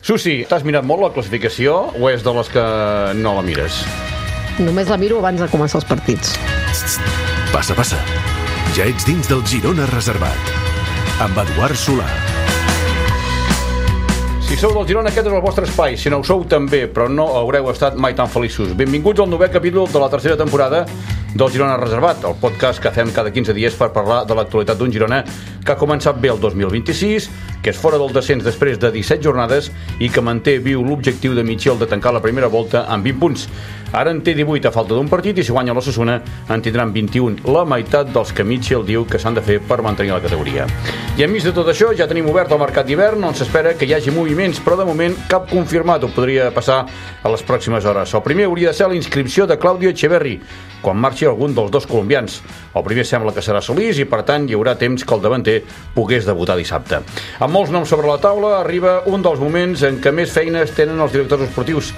Susi, t'has mirat molt la classificació o és de les que no la mires? Només la miro abans de començar els partits. Passa, passa. Ja ets dins del Girona Reservat. Amb Eduard Solà. Si sou del Girona, aquest és el vostre espai. Si no ho sou, també, però no haureu estat mai tan feliços. Benvinguts al 9è capítol de la tercera temporada del Girona Reservat, el podcast que fem cada 15 dies per parlar de l'actualitat d'un Girona que ha començat bé el 2026, que és fora del descens després de 17 jornades i que manté viu l'objectiu de Michel de tancar la primera volta amb 20 punts. Ara en té 18 a falta d'un partit i si guanya l'Osasuna en tindran 21, la meitat dels que Michel diu que s'han de fer per mantenir la categoria. I enmig de tot això ja tenim obert el mercat d'hivern on s'espera que hi hagi moviments, però de moment cap confirmat, ho podria passar a les pròximes hores. El primer hauria de ser la inscripció de Claudio Echeverri quan marxi algun dels dos colombians. El primer sembla que serà Solís i per tant hi haurà temps que el davanter pogués debutar dissabte. Amb molts noms sobre la taula arriba un dels moments en què més feines tenen els directors esportius.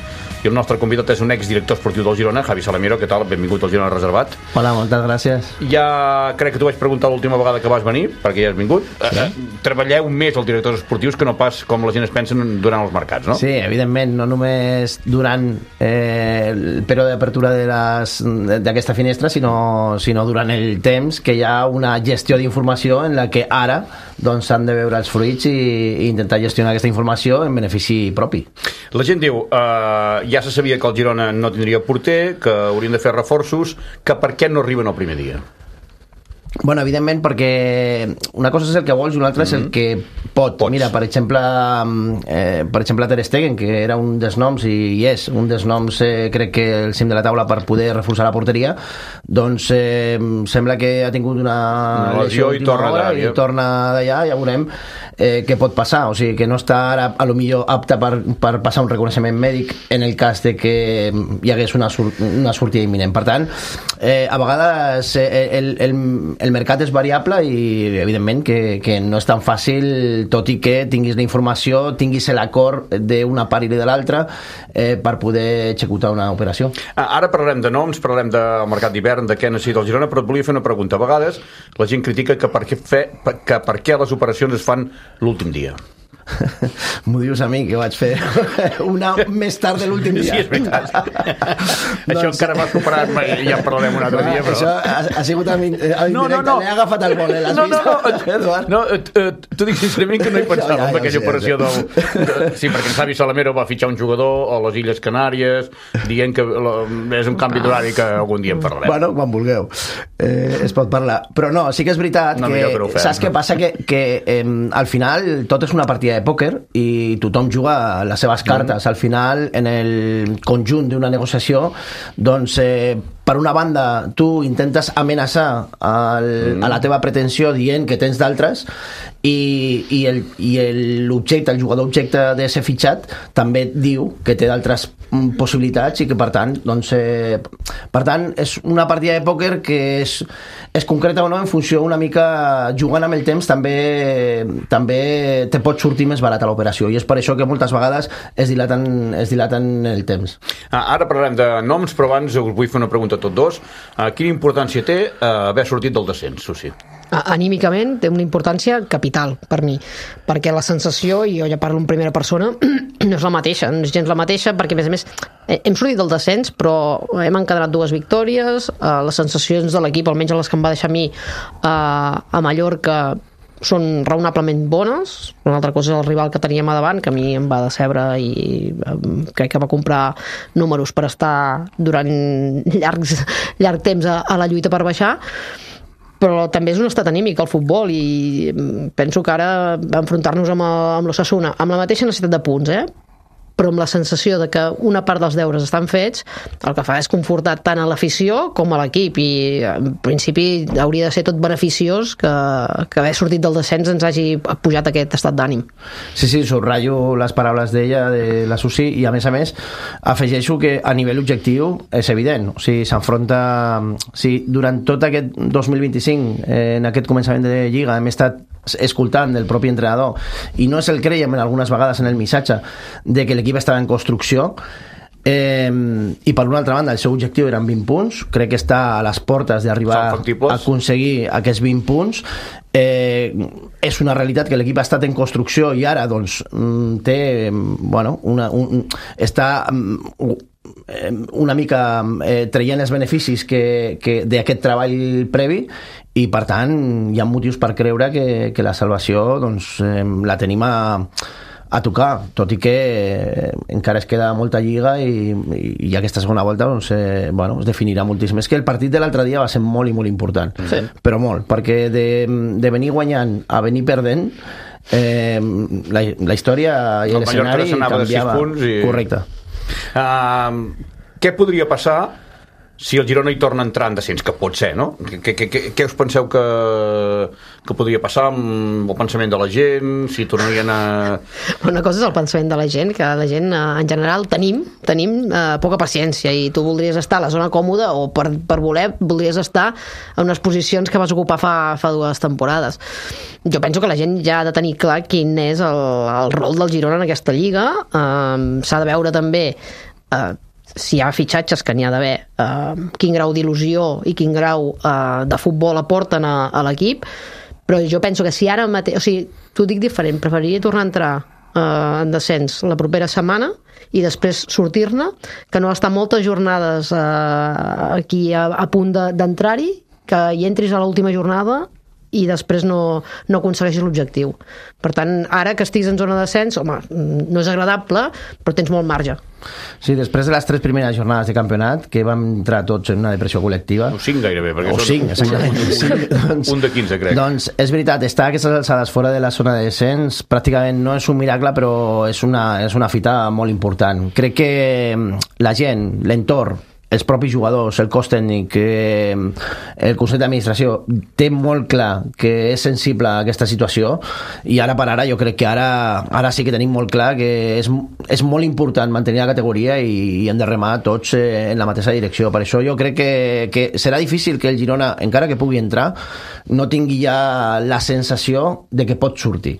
I el nostre convidat és un exdirector esportiu del Girona, Javi Salamero. Què tal? Benvingut al Girona Reservat. Hola, moltes gràcies. Ja crec que t'ho vaig preguntar l'última vegada que vas venir, perquè ja has vingut. Sí. Treballeu més els directors esportius que no pas com la gent es pensa durant els mercats, no? Sí, evidentment, no només durant el període d'apertura d'aquesta finestra, sinó durant el temps que hi ha una gestió d'informació en la que ara doncs s'han de veure els fruits i intentar gestionar aquesta informació en benefici propi. La gent diu, ja se sabia que el Girona no tindria porter, que haurien de fer reforços, que per què no arriben el primer dia? Bueno, evidentment, perquè una cosa és el que vols i una altra és el que pot. Pots. Mira, per exemple, Ter Stegen, que era un dels noms i és un dels noms, crec que el cim de la taula per poder reforçar la porteria, doncs sembla que ha tingut una lesió i torna d'allà, ja veurem què pot passar, o sigui que no està ara a lo millor apte per passar un reconeixement mèdic en el cas de que hi hagués una sortida imminent. Per tant, a vegades el mercat és variable i evidentment que no és tan fàcil, tot i que tinguis la informació, tinguis l'acord d'una part i de l'altra per poder executar una operació. Ara parlarem de noms, parlarem del mercat d'hivern, de què necessita el Girona, però et volia fer una pregunta. A vegades la gent critica que per què les operacions es fan l'últim dia. M'ho dius a mi, que vaig fer una més tard de l'últim dia. Sí, és veritat. Això encara m'ha superat, ja en parlarem un altre dia, però... Això ha sigut indirecte, l'he agafat al vol, l'has vist? No, t'ho dic sincerament que no hi pensava en aquella operació del... Sí, perquè en Javi Salamero va fitxar un jugador a les Illes Canàries dient que és un canvi d'horari que algun dia en parlarem. Bueno, quan vulgueu es pot parlar, però no, sí que és veritat que saps què passa? Que al final tot és una partida de pòquer i tothom juga les seves cartes. Al final, en el conjunt d'una negociació, doncs per una banda tu intentes amenaçar a la teva pretensió dient que tens d'altres i l'objecte, el jugador objecte de ser fitxat també diu que té d'altres possibilitats i que per tant és una partida de pòquer que és concreta o no en funció una mica jugant amb el temps també te pot sortir més barat a l'operació i és per això que moltes vegades es dilaten el temps. Ara parlarem de noms, però abans us vull fer una pregunta a tots dos. Quina importància té haver sortit del descens, Susi? Anímicament té una importància capital per mi, perquè la sensació, i jo ja parlo en primera persona, no és la mateixa, no és gens la mateixa, perquè a més hem sortit del descens però hem encadenat 2 victòries, les sensacions de l'equip, almenys les que em va deixar a mi a Mallorca, són raonablement bones. Una altra cosa és el rival que teníem a davant, que a mi em va decebre i crec que va comprar números per estar durant llarg temps a la lluita per baixar, però també és un estat anímic el futbol i penso que ara enfrontar-nos amb l'Osasuna amb la mateixa necessitat de punts, però amb la sensació de que una part dels deures estan fets, el que fa és confortar tant a l'afició com a l'equip i en principi hauria de ser tot beneficiós que haver sortit del descens ens hagi pujat aquest estat d'ànim. Sí, subratllo les paraules d'ella, de la Susi, i a més afegeixo que a nivell objectiu és evident, o sigui, s'enfronta durant tot aquest 2025 en aquest començament de Lliga hem estat escoltant del propi entrenador i no és el creiem en algunes vegades en el missatge de que l'equip estava en construcció I per una altra banda el seu objectiu eren 20 punts, crec que està a les portes d'arribar a aconseguir aquests 20 punts. És una realitat que l'equip ha estat en construcció i ara doncs té està una mica traient els beneficis d'aquest treball previ, i per tant hi ha motius per creure que la salvació doncs, la tenim a tocar, tot i que encara es queda molta lliga i aquesta segona volta doncs, es definirà moltíssim. És que el partit de l'altre dia va ser molt i molt important, però molt, perquè de venir guanyant a venir perdent, la història i l'escenari canviava. Correcte. Què podria passar si el Girona hi torna a entrar en descens, que pot ser, no? Què us penseu que podria passar amb el pensament de la gent, si tornarien a... Una cosa és el pensament de la gent, que la gent en general tenim poca paciència, i tu voldries estar a la zona còmoda o per voler voldries estar en unes posicions que vas ocupar fa 2 temporades. Jo penso que la gent ja ha de tenir clar quin és el rol del Girona en aquesta lliga. S'ha de veure també si hi ha fitxatges, que n'hi ha d'haver, quin grau d'il·lusió i quin grau de futbol aporten a l'equip, però jo penso que si ara mateix, o sigui, t'ho dic diferent, preferiria tornar a entrar en descens la propera setmana i després sortir-ne, que no estar moltes jornades aquí a punt d'entrar-hi, que hi entris a l'última jornada i després no aconsegueixis l'objectiu. Per tant, ara que estiguis en zona de descens, home, no és agradable, però tens molt marge. Sí, després de les 3 primeres jornades de campionat, que vam entrar tots en una depressió col·lectiva... O 5 gairebé, perquè són un de 15, crec. Doncs és veritat, estar a aquestes alçades fora de la zona de descens pràcticament no és un miracle, però és una fita molt important. Crec que la gent, l'entorn, els propis jugadors, el cos tècnic, el Consell d'Administració té molt clar que és sensible a aquesta situació, i ara per ara jo crec que ara sí que tenim molt clar que és molt important mantenir la categoria i hem de remar tots en la mateixa direcció. Per això jo crec que serà difícil que el Girona, encara que pugui entrar, no tingui ja la sensació de que pot sortir.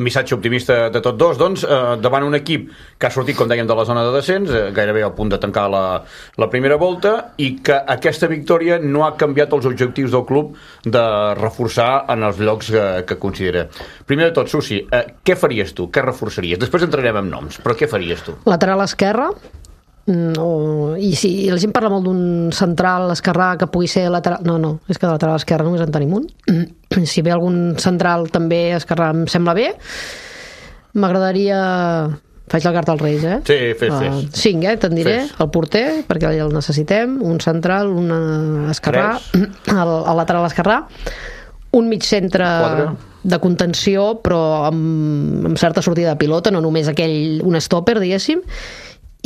Missatge optimista de tots dos, doncs, davant un equip que ha sortit, com dèiem, de la zona de descens, gairebé al punt de tancar la primera volta, i que aquesta victòria no ha canviat els objectius del club de reforçar en els llocs que considera. Primer de tot, Susi, què faries tu? Què reforçaries? Després entrarem en noms, però què faries tu? Lateral esquerra, i si la gent parla molt d'un central esquerrà que pugui ser lateral, no, és que de lateral esquerra només en tenim un. Si ve algun central també esquerrà em sembla bé. M'agradaria... Faig la carta als Reis, Sí, fes. 5, te'n diré. El porter, perquè el necessitem, un central, un esquerrà, el lateral esquerrà, un mig centre 4 de contenció, però amb certa sortida de pilota, no només un stopper, diguéssim,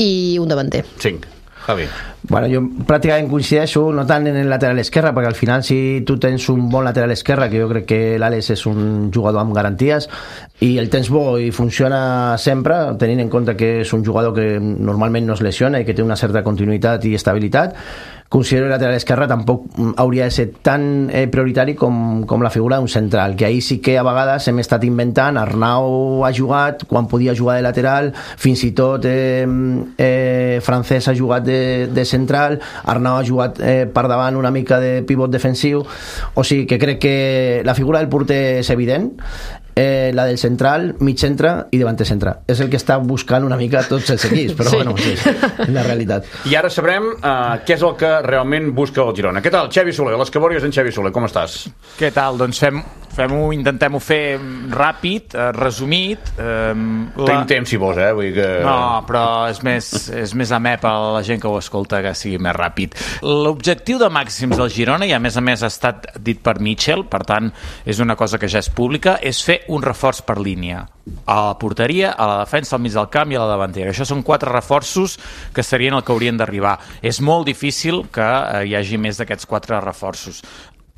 i un davanter. 5. Javi. Bueno, jo pràcticament coincideixo, no tant en el lateral esquerre, perquè al final si tu tens un bon lateral esquerre, que jo crec que l'Àlex és un jugador amb garanties, i el tens bo i funciona sempre, tenint en compte que és un jugador que normalment no es lesiona i que té una certa continuïtat i estabilitat, considero que el lateral esquerre tampoc hauria de ser tan prioritari com la figura d'un central, que ahir sí que a vegades hem estat inventant. Arnau ha jugat quan podia jugar de lateral, fins i tot Francesc ha jugat de central, Arnau ha jugat per davant una mica de pivot defensiu, o sigui que crec que la figura del porter és evident, la del central, mig centre i davanter centre. És el que està buscant una mica tots els equips, però bueno, sí, és la realitat. I ara sabrem què és el que realment busca el Girona. Què tal, Xavi Soler? Les cabòries en Xavi Soler, com estàs? Què tal? Doncs intentem-ho fer ràpid, resumit. Tenim temps, si vols, vull dir que... No, però és més amè per a la gent que ho escolta que sigui més ràpid. L'objectiu de màxims del Girona, i a més ha estat dit per Mitchell, per tant és una cosa que ja és pública, és fer un reforç per línia. A la porteria, a la defensa, al mig del camp i a la davantera. Això són 4 reforços que serien el que haurien d'arribar. És molt difícil que hi hagi més d'aquests 4 reforços.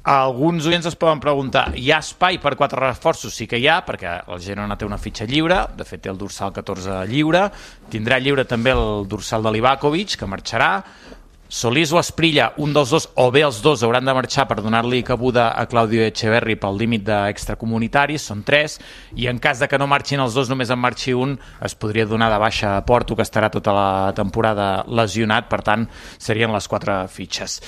Alguns oients es poden preguntar, hi ha espai per 4 reforços? Sí que hi ha, perquè el Girona té una fitxa lliure, de fet té el dorsal 14 lliure, tindrà lliure també el dorsal de Livakovic, que marxarà. Solís o Asprilla, un dels dos, o bé els dos, hauran de marxar per donar-li cabuda a Claudio Echeverri pel límit d'extracomunitaris, són 3, i en cas de que no marxin els dos, només en marxi un, es podria donar de baixa a Porto, que estarà tota la temporada lesionat, per tant, serien les 4 fitxes.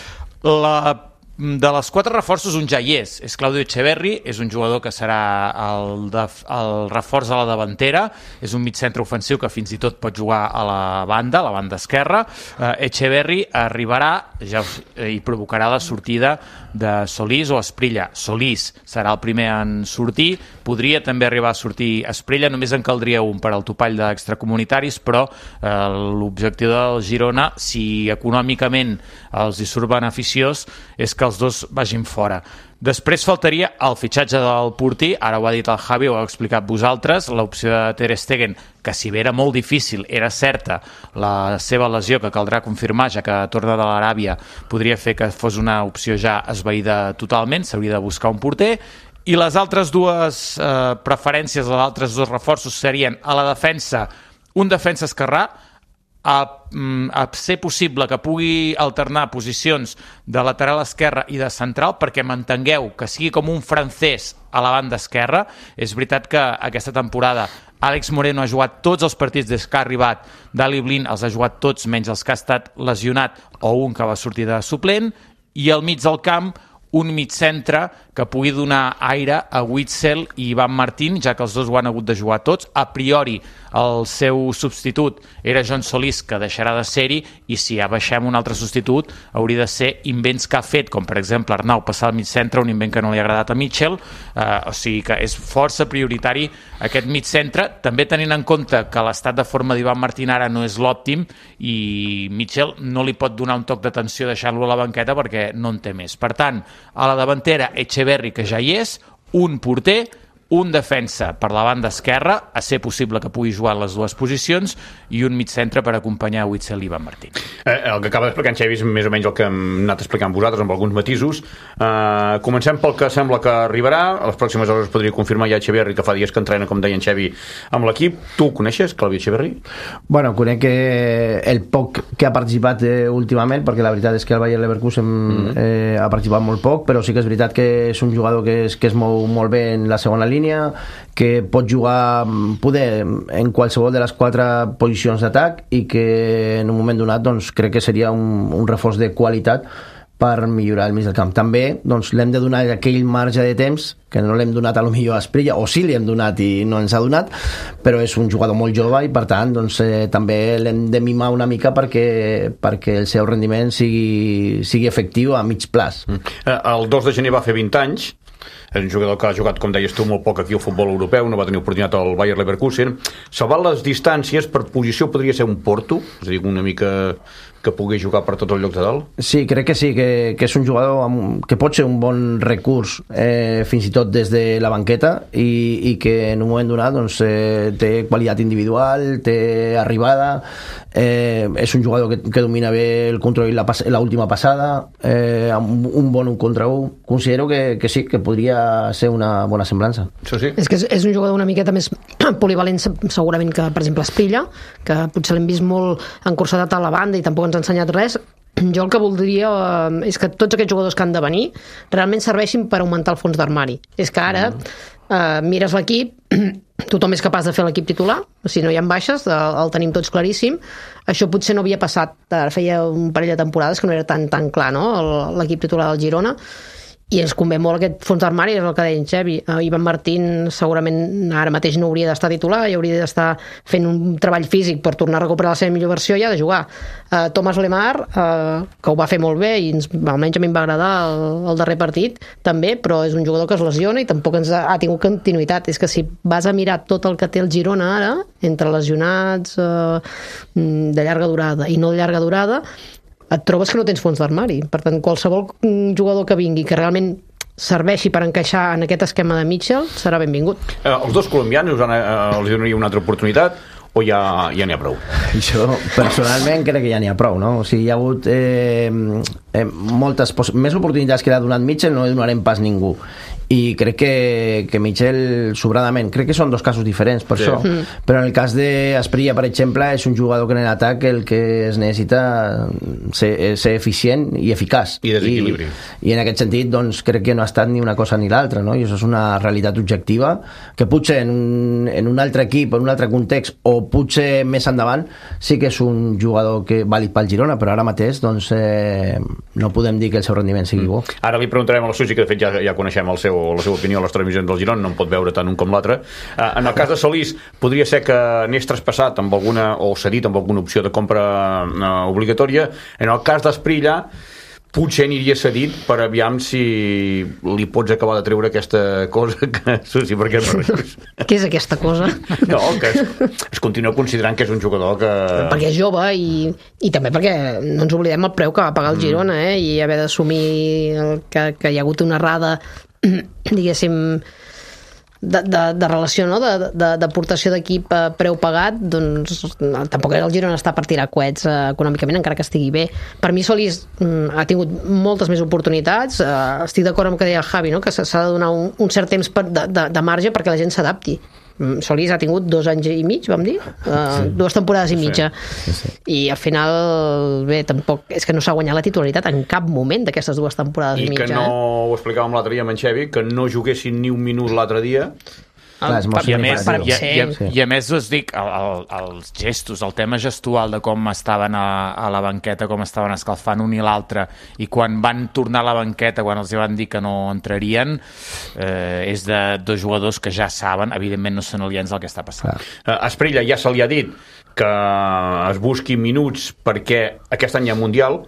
De les 4 reforços, un ja hi és Claudio Echeverri, és un jugador que serà el reforç a la davantera, és un migcentre ofensiu que fins i tot pot jugar a la banda esquerra. Echeverri arribarà i provocarà la sortida de Solís o Asprilla. Solís serà el primer en sortir, podria també arribar a sortir Asprilla, només en caldria un per al topall d'extracomunitaris, però l'objectiu del Girona, si econòmicament els hi surt beneficiós, és que els dos vagin fora. Després faltaria el fitxatge del porter, ara ho ha dit el Javi, ho heu explicat vosaltres, l'opció de Ter Stegen, que si bé era molt difícil, era certa la seva lesió, que caldrà confirmar, ja que torna de l'Aràbia, podria fer que fos una opció ja esvaïda totalment, s'hauria de buscar un porter, i les altres dues preferències, els altres dos reforços serien a la defensa, un defensa esquerrà, a ser possible que pugui alternar posicions de lateral esquerre i de central, perquè m'entengueu que sigui com un francès a la banda esquerra. És veritat que aquesta temporada Àlex Moreno ha jugat tots els partits des que ha arribat, Daley Blind els ha jugat tots menys els que ha estat lesionat o un que va sortir de suplent, i al mig del camp un migcentre que pugui donar aire a Witsel i Ivan Martín, ja que els dos ho han hagut de jugar tots. A priori el seu substitut era John Solís, que deixarà de ser-hi, i si ja baixem un altre substitut hauria de ser invents que ha fet, com per exemple Arnau passar al mig centre, un invent que no li ha agradat a Mitchell, o sigui que és força prioritari aquest mig centre, també tenint en compte que l'estat de forma d'Ivan Martín ara no és l'òptim i Mitchell no li pot donar un toc d'atenció deixant-lo a la banqueta perquè no en té més. Per tant, a la davantera Echeverri, que ja hi és, un porter, un defensa per la banda esquerra, a ser possible que pugui jugar en les dues posicions, i un mig centre per acompanyar Witsel i Ivan Martín. El que acaba d'explicar en Xavi és més o menys el que hem anat explicant vosaltres, amb alguns matisos. Comencem pel que sembla que arribarà. A les pròximes hores podria confirmar ja Echeverri, que fa dies que entrena, com deia en Xavi, amb l'equip. Tu ho coneixes, Claudio Echeverri? Bueno, conec el poc que ha participat últimament, perquè la veritat és que el Bayer Leverkusen ha participat molt poc, però sí que és veritat que és un jugador que es mou molt bé en la segona línia, que pot jugar en qualsevol de les 4 posicions d'atac, i que en un moment donat doncs, crec que seria un reforç de qualitat per millorar el mig del camp. També doncs, l'hem de donar aquell marge de temps que no l'hem donat a lo millor a Asprilla, o sí li hem donat i no ens ha donat, però és un jugador molt jove i per tant doncs, també l'hem de mimar una mica perquè el seu rendiment sigui efectiu a mig plaç. El 2 de gener va fer 20 anys, és un jugador que ha jugat, com deies tu, molt poc aquí al futbol europeu, no va tenir oportunitat al Bayer Leverkusen. Salvant les distàncies, per posició podria ser un Porto, és a dir, una mica que pugui jugar per tots els llocs de dalt? Sí, crec que sí, que és un jugador que pot ser un bon recurs fins i tot des de la banqueta i que en un moment donat doncs, té qualitat individual, té arribada, és un jugador que domina bé el control i l'última passada, amb un bon 1 contra 1. Considero que sí, que podria ser una bona semblança. Això sí. És que és un jugador una miqueta més polivalent segurament que, per exemple, Asprilla, que potser l'hem vist molt encursadat a la banda i tampoc ens ha ensenyat res. Jo el que voldria és que tots aquests jugadors que han de venir realment serveixin per augmentar el fons d'armari. És que ara mires l'equip, tothom és capaç de fer l'equip titular, si no hi ha baixes, el tenim tots claríssim. Això potser no havia passat, feia un parell de temporades que no era tan clar, no? L'equip titular del Girona, i ens convé molt aquest fons d'armari, és el que deia en Xavi. Ivan Martín segurament ara mateix no hauria d'estar titular i hauria d'estar fent un treball físic per tornar a recuperar la seva millor versió i ha de jugar. Thomas Lemar, que ho va fer molt bé i almenys a mi em va agradar el darrer partit també, però és un jugador que es lesiona i tampoc ha tingut continuïtat. És que si vas a mirar tot el que té el Girona ara, entre lesionats de llarga durada i no de llarga durada, et trobes que no tens fons d'armari. Per tant, qualsevol jugador que vingui que realment serveixi per encaixar en aquest esquema de Mitchell serà benvingut. Els dos colombians els donaria una altra oportunitat o ja n'hi ha prou? Jo personalment crec que ja n'hi ha prou, no? O sigui, hi ha hagut moltes més oportunitats que l'ha donat Mitchell, no li donarem pas ningú, i crec que Michel sobradament, crec que són dos casos diferents per això, però en el cas d'Asprilla, per exemple, és un jugador que en l'atac el que es necessita ser eficient i eficaç i desequilibri, i en aquest sentit doncs crec que no ha estat ni una cosa ni l'altra, no? I això és una realitat objectiva que potser en un altre equip, en un altre context o potser més endavant sí que és un jugador que vàlid pel Girona, però ara mateix doncs no podem dir que el seu rendiment sigui bo. Ara li preguntarem a la Susi, que de fet ja coneixem la seva opinió a les televisions del Girona, no en pot veure tant un com l'altre. En el cas de Solís, podria ser que anés traspassat amb alguna, o cedit amb alguna opció de compra obligatòria. En el cas d'Asprilla, potser aniria cedit per aviam si li pots acabar de treure aquesta cosa que... Susi, per què no rius? Què és aquesta cosa? No, que es continua considerant que és un jugador que... Perquè és jove i també perquè no ens oblidem el preu que va pagar el Girona, i haver d'assumir que hi ha hagut una errada, diguéssim, de relació, no? D'aportació d'equip a preu pagat, doncs tampoc el Girona està per tirar coets econòmicament, encara que estigui bé. Per mi Solís ha tingut moltes més oportunitats. Estic d'acord amb el que deia el Javi, no? Que s'ha de donar un cert temps de marge perquè la gent s'adapti. Solís ha tingut 2 anys i mig, vam dir? 2 temporades i mitja. Sí. I al final, bé, tampoc és que no s'ha guanyat la titularitat en cap moment d'aquestes 2 temporades i mitja. I que no, ho explicàvem l'altre dia amb en Xevi, que no juguessin ni un minut l'altre dia. I a més us dic, els gestos, el tema gestual de com estaven a la banqueta, com estaven escalfant un i l'altre, i quan van tornar a la banqueta, quan els van dir que no entrarien, és de 2 jugadors que ja saben, evidentment no són aliens del que està passant. Asprilla ja se li ha dit que es busqui minuts perquè aquest any hi ha Mundial.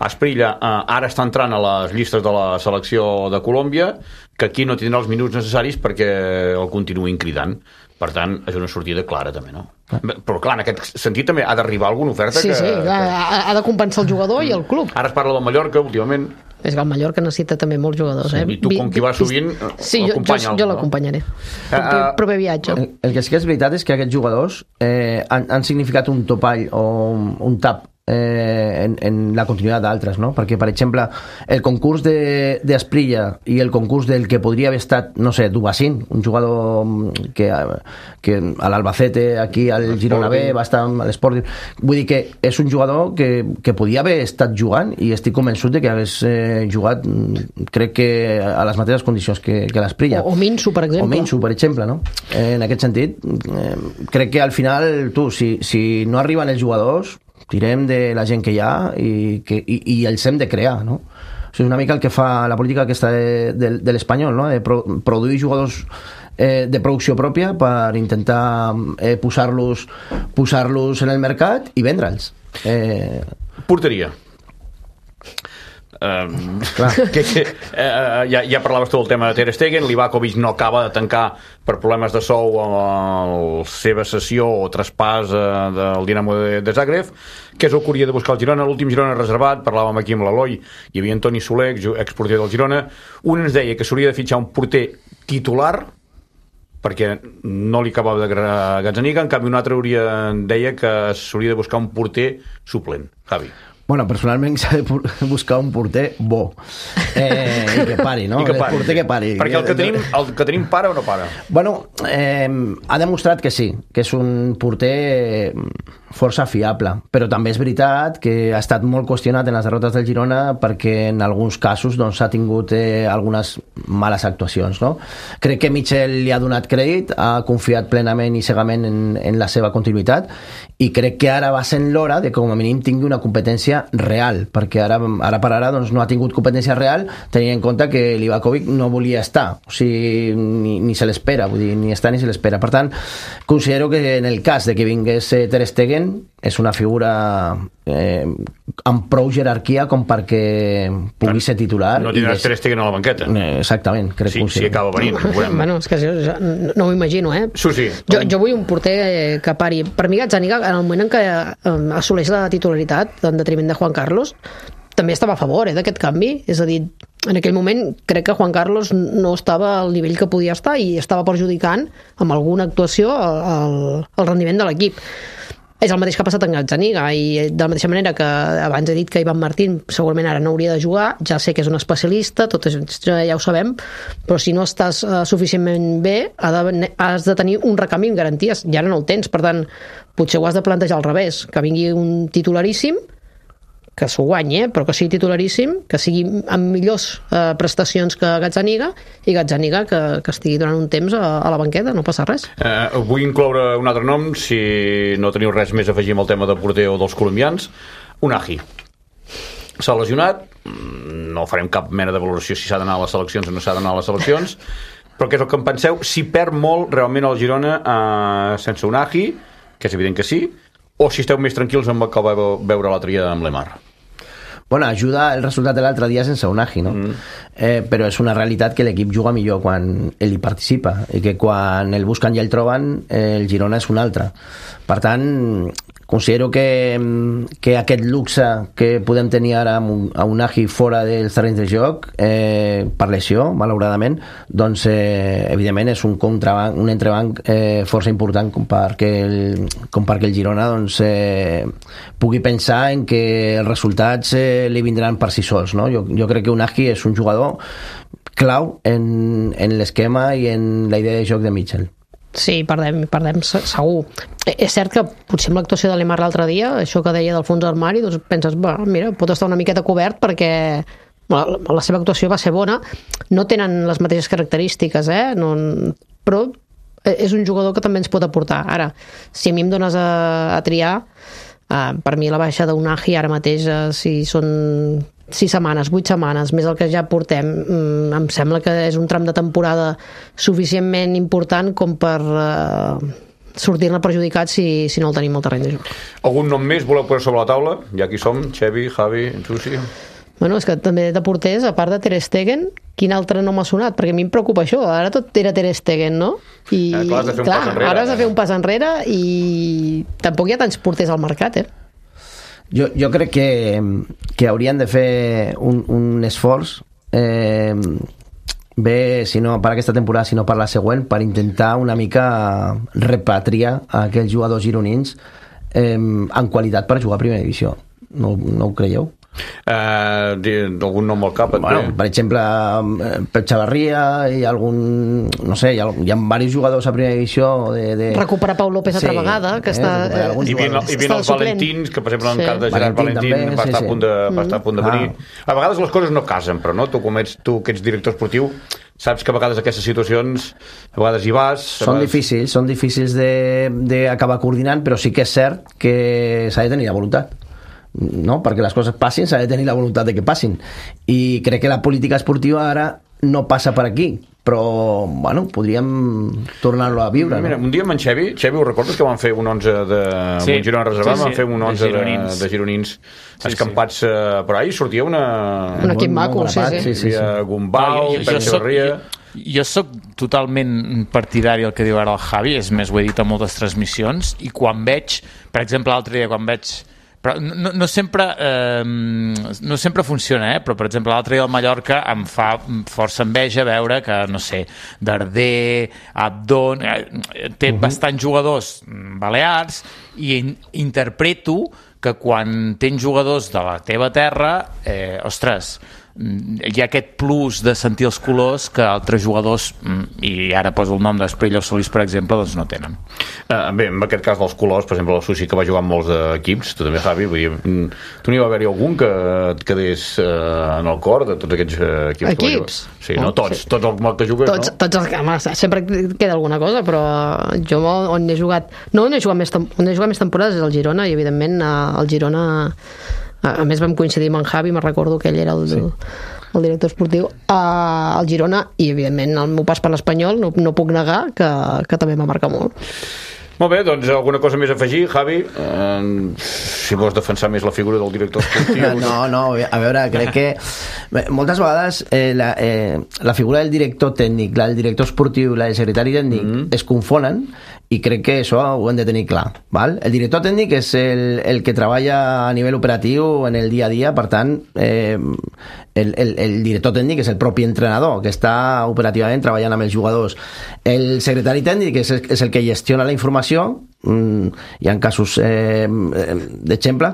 Asprilla ara està entrant a les llistes de la selecció de Colòmbia, que aquí no tindrà els minuts necessaris perquè el continuïn cridant. Per tant, és una sortida clara també, no? Però clar, en aquest sentit també ha d'arribar alguna oferta sí, ha de compensar el jugador i el club. Ara es parla del Mallorca últimament. És que el Mallorca necessita també molts jugadors, I tu, com que hi vas sovint, l'acompanya. Jo l'acompanyaré. Proper viatge. El que sí que és veritat és que aquests jugadors han significat un topall o un tap en la continuïtat d'altres, no? Perquè, per exemple, el concurs d'Asprilla i el concurs del que podria haver estat, no sé, Dubassin, un jugador que a l'Albacete, aquí al Girona B, va estar a l'Sporting. Vull dir que és un jugador que podia haver estat jugant i estic convençut de que hagués jugat, crec que a les mateixes condicions que l'Asprilla. O Minsu, per exemple. No? En aquest sentit, crec que al final, si no arriben els jugadors, tirem de la gent que hi ha i els hem de crear, no? O sigui, una mica el que fa la política aquesta de l'Espanyol, no? De produir jugadors de producció pròpia per intentar posar-los en el mercat i vendre'ls. Porteria. Ja parlaves tu del tema de Ter Stegen. Livakovic no acaba de tancar per problemes de sou amb la seva cessió o traspàs del Dinamo de Zagreb. Què és el que hauria de buscar el Girona? L'últim Girona reservat, parlàvem aquí amb l'Eloi, hi havia Antoni Soler, exporter del Girona. Un ens deia que s'hauria de fitxar un porter titular perquè no li acabava d'agradar Gazzaniga, en canvi un altre deia que s'hauria de buscar un porter suplent. Javi. Bueno, personalment s'ha de buscar un porter bo i que pari, no? Que pari, porter que pari. Perquè el que tenim para o no para? Bueno, ha demostrat que sí, que és un porter força fiable, però també és veritat que ha estat molt qüestionat en les derrotes del Girona perquè en alguns casos doncs, ha tingut algunes males actuacions, no? Crec que Michel li ha donat crèdit, ha confiat plenament i cegament en la seva continuïtat i crec que ara va sent l'hora de que com a mínim tingui una competència real, perquè ara per ara doncs, no ha tingut competència real tenint en compte que Livakovic no volia estar, o sigui, ni se l'espera, vull dir, ni està ni se l'espera. Per tant, considero que en el cas de que vingués Ter Stegen és una figura amb prou jerarquia com perquè pugui ser titular. No tindràs Ter Stegen a la banqueta. Exactament, crec que si acaba venint. Bueno, és que no ho imagino, Sí. Jo vull un porter que pari. Per mi Gazzaniga, en el moment en què assoleix la titularitat en detriment de Juan Carlos, també estava a favor d'aquest canvi, és a dir, en aquell moment crec que Juan Carlos no estava al nivell que podia estar i estava perjudicant amb alguna actuació el rendiment de l'equip. És el mateix que ha passat en Gazzaniga, i de la mateixa manera que abans he dit que Ivan Martín segurament ara no hauria de jugar, ja sé que és un especialista, tot això ja ho sabem, però si no estàs suficientment bé, has de tenir un recanvi amb garanties, i ara no el tens, per tant, potser ho has de plantejar al revés, que vingui un titularíssim, que s'ho guanyi, però que sigui titularíssim, que sigui amb millors prestacions que Gazzaniga, i Gazzaniga que estigui durant un temps a la banqueta, no passa res. Vull incloure un altre nom, si no teniu res més a afegir amb el tema de porter o dels colombians. Unai s'ha lesionat, no farem cap mena de valoració si s'ha d'anar a les seleccions o no s'ha d'anar a les seleccions, però què és el que em penseu? Si perd molt realment el Girona sense Unai, que és evident que sí, o si esteu més tranquils amb el que va veure l'altre dia amb Lemar? Bueno, ajuda el resultat de l'altre dia sense Unai, no? Però és una realitat que l'equip juga millor quan ell hi participa, i que quan el busquen i el troben, el Girona és un altre. Per tant, considero que aquest luxe que podem tenir ara a Unai fora dels terrenys de joc, per lesió, malauradament, doncs evidentment és un entrebanc força important com perquè el Girona doncs, pugui pensar en que els resultats li vindran per si sols, no? Jo crec que Unai és un jugador clau en l'esquema i en la idea de joc de Mitchell. Sí, perdem segur. És cert que potser amb l'actuació de Lemar l'altre dia, això que deia del fons d'armari, doncs penses, mira, pot estar una miqueta cobert perquè la seva actuació va ser bona. No tenen les mateixes característiques, però és un jugador que també ens pot aportar. Ara, si a mi em dones a triar, per mi la baixa d'Unai ara mateix, si són 6 setmanes, 8 setmanes, més el que ja portem, em sembla que és un tram de temporada suficientment important com per sortir-ne perjudicat si no el tenim al terreny de joc. Algun nom més voleu posar sobre la taula? Ja aquí som, Xevi, Javi, Susi... Bueno, és que també de porters, a part de Ter Stegen, quin altre nom ha sonat? Perquè a mi em preocupa això, ara tot era Ter Stegen, no? I clar, has de fer un pas enrere. Ara has de fer un pas enrere i tampoc hi ha tants porters al mercat, Jo crec que haurien de fer un esforç bé, si no per aquesta temporada, si no per la següent, per intentar una mica repatriar aquells jugadors gironins en qualitat per jugar a primera divisió. No ho creieu? Algun nom al cap? Bueno, per exemple, Pep Chavarria i algun, no sé, hi ha diversos jugadors a primera divisió recuperar Pau López altra vegada, que està i bien els Valentins, que per exemple en el cas de Gerard Valentín va estar a punt de venir. A vegades les coses no casen, però no? Tu que ets director esportiu, saps que a vegades aquestes situacions a vegades hi vas... Són difícils d'acabar coordinant, però sí que és cert que s'ha de tenir la voluntat, no? Perquè les coses passin s'ha de tenir la voluntat de que passin, i crec que la política esportiva ara no passa per aquí, però bueno, podríem tornar-lo a viure. Mira, un dia amb en Xevi, ho recordes que van fer un 11 de un Girona reservat? Van fer un 11 de gironins escampats per ahí, sortia un equip maco, sí. Gumbau, Pep Chavarria... Jo sóc totalment partidari del que diu ara el Javi, és més, ho he dit a moltes transmissions, i quan veig, per exemple, l'altre dia quan veig... Però no sempre funciona, però per exemple l'altre dia al Mallorca em fa força enveja veure que, no sé, Darder, Abdon, té bastants jugadors balears, i interpreto que quan tens jugadors de la teva terra, ostres, hi ha aquest plus de sentir els colors que altres jugadors, i ara poso el nom d'Espriella o Solís, per exemple, doncs no tenen. Bé, en aquest cas dels colors, per exemple, el Susi, que va jugar amb molts equips, tu també, Javi, vull dir, tu n'hi va haver-hi algun que et quedés en el cor de tots aquests equips? Sí, no? Tots els que jugues, no? Tots els, sempre queda alguna cosa, però jo on he jugat més temporades és el Girona, i evidentment el Girona... A més vam coincidir amb en Javi, me'n recordo que ell era el director esportiu al Girona, i evidentment el meu pas per l'Espanyol no puc negar que també m'ha marcat molt. Molt bé, doncs alguna cosa més a afegir, Javi? Si vols defensar més la figura del director esportiu... No, a veure, crec que moltes vegades la figura del director tècnic, la del director esportiu, la del secretari tècnic es confonen, i crec que això ho hem de tenir clar, val? El director tècnic és el que treballa a nivell operatiu en el dia a dia, per tant el director tècnic és el propi entrenador que està operativament treballant amb els jugadors. El secretari tècnic és el que gestiona la informació hi ha casos d'exemple,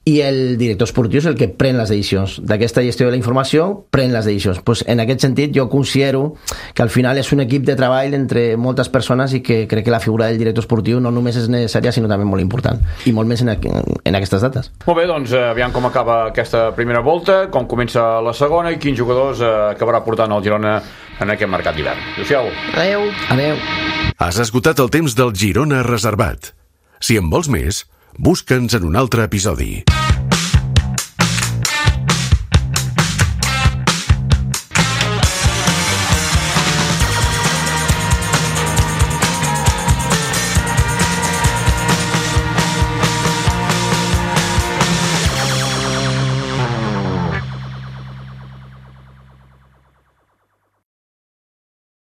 i el director esportiu és el que pren les decisions. D'aquesta gestió de la informació pren les decisions. Pues, en aquest sentit, jo considero que al final és un equip de treball entre moltes persones i que crec que la figura del director esportiu no només és necessària, sinó també molt important. I molt més en aquestes dates. Molt bé, doncs aviam com acaba aquesta primera volta, com comença la segona i quins jugadors acabarà portant el Girona en aquest mercat d'hivern. Adéu-siau. Adéu. Adéu. Has esgotat el temps del Girona Reservat. Si en vols més, busca'ns en un altre episodi.